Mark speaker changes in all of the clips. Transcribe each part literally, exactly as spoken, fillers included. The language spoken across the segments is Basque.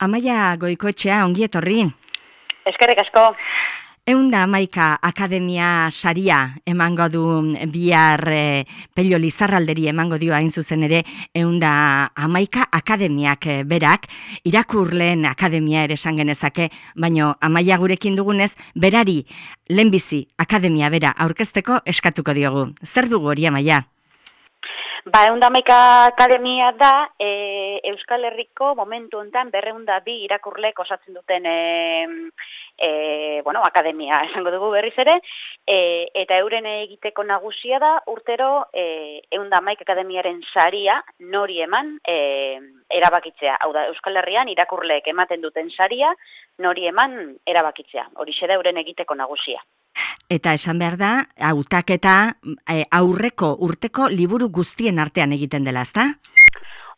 Speaker 1: Amaia Goikoetxea, ongi etorri.
Speaker 2: Eskerrik asko.
Speaker 1: Eunda Hamaika Akademia saria emango du bihar e, Pello Lizarralderi emango dio hain zuzen ere Eunda Hamaika Akademiak e, berak, irakurleen akademia ere esan genezake, baino Amaia gurekin dugunez, berari lehenbizi akademia bera aurkezteko eskatuko diogu. Zer dugu hori, Amaia?
Speaker 2: Ba, Eunda Hamaika Akademia da e, Euskal Herriko momentu honetan berreunda bi irakurleek osatzen duten e, e, bueno, akademia esango dugu berriz ere, e, eta euren egiteko nagusia da urtero e, Eunda Hamaika Akademiaren saria nori eman e, erabakitzea. Hau da, Euskal Herrian irakurleek ematen duten saria nori eman erabakitzea. Horixe da euren egiteko nagusia.
Speaker 1: Eta esan behar da, hautaketa e, aurreko urteko liburu guztien artean egiten dela, ezta?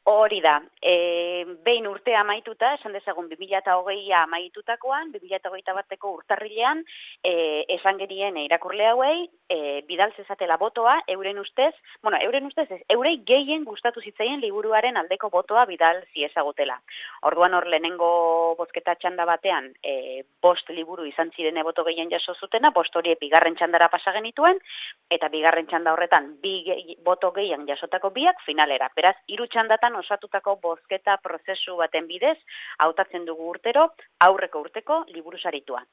Speaker 2: Hori da, e, behin urtea amaituta, esan dezagun bi mila hogeia amaitutakoan, bi mila hogeita bateko urtarrilean, e, esan gerien irakurle hauei, e, bidaltzezatela botoa, euren ustez, bueno, euren ustez, ez, eurei gehien gustatu zitzaien liburuaren aldeko botoa bidal ziezagutela. Orduan hor lehenengo bozketa txanda batean, e, bost liburu izan ziren boto gehien jaso zutena, bost horiek bigarren txandara pasa genituen, eta bigarren txanda horretan bi gehi, boto gehien jasotako biak finalera. Beraz, hiru txandatan osatutako bozketa prozesu baten bidez, hautatzen dugu urtero, aurreko urteko liburu saritua.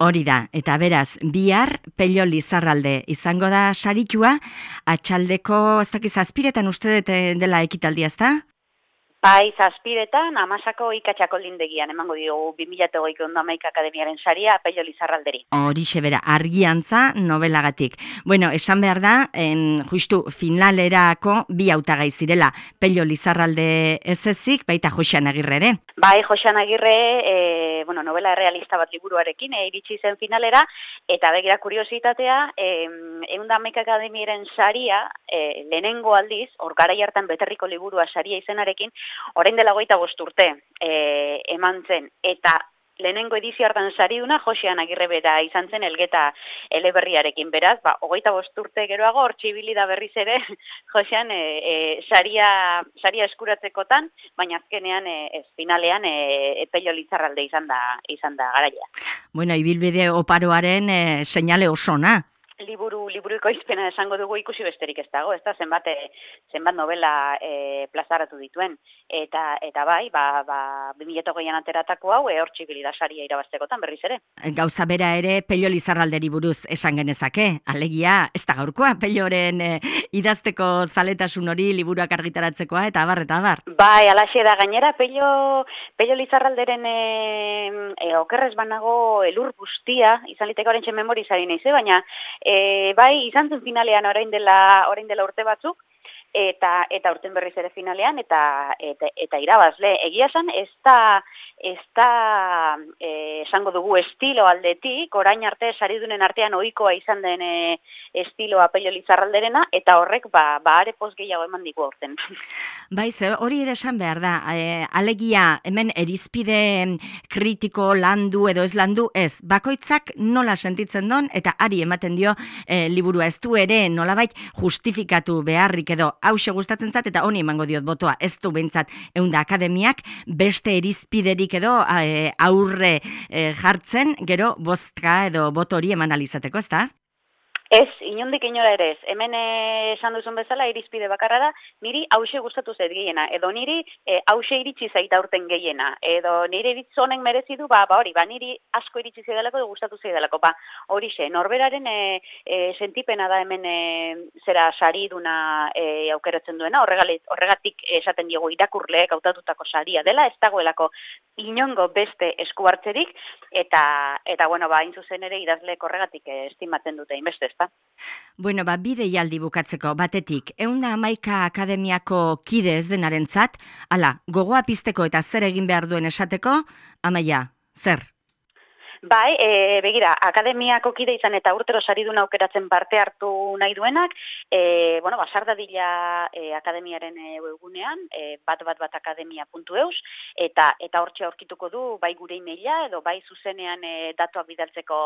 Speaker 1: Hori da, eta beraz, bihar Pello Lizarralde izango da saritua, atxaldeko, ez dakiz, zazpiretan uste dut dela ekitaldia, ezta?
Speaker 2: Bai, zazpiretan, Amasako ikatxako lindegian, emango diogu bi mila hogeiko Eunda Hamaika Akademiaren saria Pello Lizarralderi.
Speaker 1: Horixe bera, argiantza novelagatik. Bueno, esan behar da, en, justu finalerako bi hautagai zirela, Pello Lizarralde ez ezik, baita Joxean Agirre ere.
Speaker 2: Bai, Joxean Agirre, e, bueno, novela realista bat liburuarekin, e, iritsi zen finalera, eta begira kuriositatea, e, Eunda Hamaika Akademiaren saria, e, lehenengo aldiz, hor garai hartan beterriko liburua saria izenarekin, orain dela hogeita bost urte e, eman zen, eta lehenengo edizio hartan sariduna Joxean Agirre bera izan zen Elgeta eleberriarekin, beraz, ba, hogeita bost urte geroago hor txibili da berriz ere Joxean e, e, saria, saria eskuratzekotan, baina azkenean e, ez finalean e, Pello Lizarralde izan da, izan da garaia.
Speaker 1: Bueno, ibilbide oparoaren e, seinale osona.
Speaker 2: Liburu, liburuiko izpena esango dugu ikusi besterik ez dago, ez da, zenbat, e, zenbat novela e, plazaratu dituen. Eta, eta bai, ba, ba, bi mila hogeian ateratako hau, e, hor txibili da saria irabaztekotan berriz ere.
Speaker 1: Gauza bera ere Pello Lizarralderi buruz esan genezake, alegia, ez da gaurkoa, Pelloren e, idazteko zaletasun hori liburuak argitaratzekoa, eta abar, eta abar.
Speaker 2: Bai, alaxe da gainera, Pello, Pello Lizarralderen e, e, okerrez banago elur guztia, izan liteko horrentxe memorizari nahiz, baina E, bai, izan zen finalean orain dela, orain dela urte batzuk, eta eta urten berriz ere finalean, eta eta, eta irabazle. Egia esan, ez da, ez da e, esango dugu estilo aldetik, orain arte saridunen artean ohikoa izan den e, estiloa Pello Lizarralderena, eta horrek ba, ba are poz gehiago eman digu aurten.
Speaker 1: Bai, zer, hori ere esan behar da, e, alegia hemen erizpide kritiko landu edo ez landu ez, bakoitzak nola sentitzen don, eta ari ematen dio e, liburua, ez du ere nolabait justifikatu beharrik edo hause gustatzen zat, eta honi emango diot botoa, ez du behintzat Eunda Akademiak beste erizpiderik edo e, aurre e, jartzen, gero bozka edo boto hori eman alizateko, ez da?
Speaker 2: Ez, inondik inora ere ez. Hemen esan duzun bezala irizpide bakarra da, niri hause gustatu zait gehiena, edo niri e, hause iritsi zaita urten gehiena, edo niri iritz honen merezi du, ba, ba hori, ba niri asko iritsi zaidalako edo gustatu zaidalako, ba hori xe, norberaren e, e, sentipena da hemen e, zera sariduna e, aukeratzen duena, horregatik esaten diogu irakurleek hautatutako saria dela, ez dagoelako inongo beste esku hartzerik, eta, eta bueno, ba, hain zuzen ere idazleek horregatik estimatzen dute inbeste, ez da?
Speaker 1: Bueno, ba, bide jaldi bukatzeko, batetik, Eunda Hamaika Akademiako kide ez denarentzat, ala, gogoa pizteko eta zer egin behar duen esateko, Amaia, zer?
Speaker 2: Bai, e, begira, akademiako kide izan eta urtero saridun aukeratzen parte hartu nahi duenak, e, bueno, basardadila e, akademiaren e, webgunean, e, bat bat bat akademia puntu eus, eta eta hortxe aurkituko du bai gure emaila edo bai zuzenean e, datuak bidaltzeko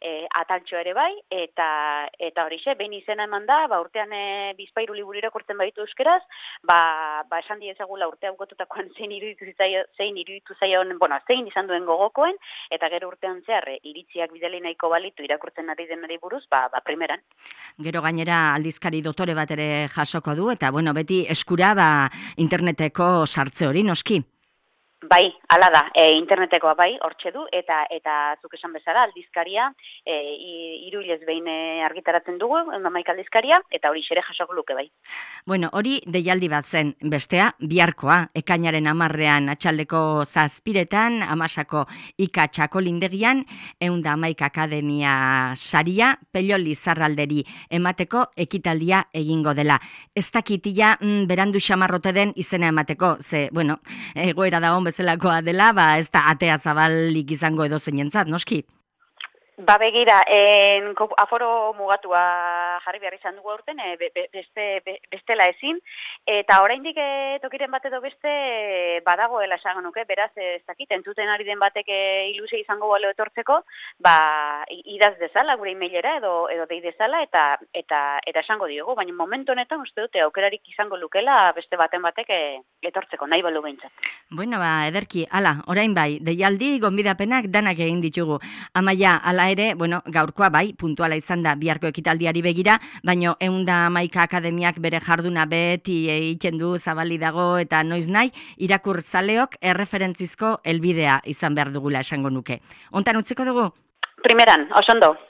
Speaker 2: e, ataltxo ere bai, eta eta horixe, behin izena eman da, ba, urtean e, bizpairu liburu irakurtzen baditu euskeraz, ba, ba esan diezagula urtea bukotutakoan zein iruditu zaio, zein iruditu zaion, bueno, zein izan duen gogokoen, eta gero urtean zehar iritziak bidali nahiko balitu irakurtzen ari denari buruz, ba, ba primeran.
Speaker 1: Gero gainera aldizkari dotore bat ere jasoko du, eta bueno, beti eskura ba, interneteko sartze hori noski.
Speaker 2: Bai, hala da, e, internetekoa bai, hortxe du, eta eta zuk esan bezala aldizkaria, e, hiru hilez behin argitaratzen dugu, hamaika aldizkaria, eta hori xere jasoko luke bai.
Speaker 1: Bueno, hori deialdi bat zen, bestea, biharkoa, ekainaren hamarrean atxaldeko zazpiretan, amasako ika txakolindegian, eunda hamaika akademia saria, Pello Lizarralderi emateko ekitaldia egingo dela. Ez dakitila mm, berandu xamarrote den izena emateko, ze, bueno, egoera da hon bezalakoa dela, ba ez da atea zabalik izango edo zeinentzat, noski?
Speaker 2: Ba begira, en, aforo mugatua jarri behar izan dugu aurten, e, be, beste, be, bestela ezin, eta oraindik e, tokiren bat edo beste badagoela esango nuke, beraz ez dakit, entzuten ari den batek e, ilusia izango balo etortzeko, ba idaz dezala gure emailera edo edo dei dezala eta eta eta esango diogu, baina momentu honetan uste dute aukerarik izango lukela beste baten batek e, etortzeko, nahi balu behintzat.
Speaker 1: Bueno, ba, ederki, ala, orain bai, deialdi, gonbidapenak danak egin ditugu. Amaia, ala ere, bueno, gaurkoa bai, puntuala izan da biharko ekitaldiari begira, baino eunda hamaika akademiak bere jarduna beti egiten du zabali dago eta noiz nahi, irakurtzaleok erreferentzizko helbidea izan behar dugula esango nuke. Hontan utziko dugu?
Speaker 2: Primeran, oso ondo.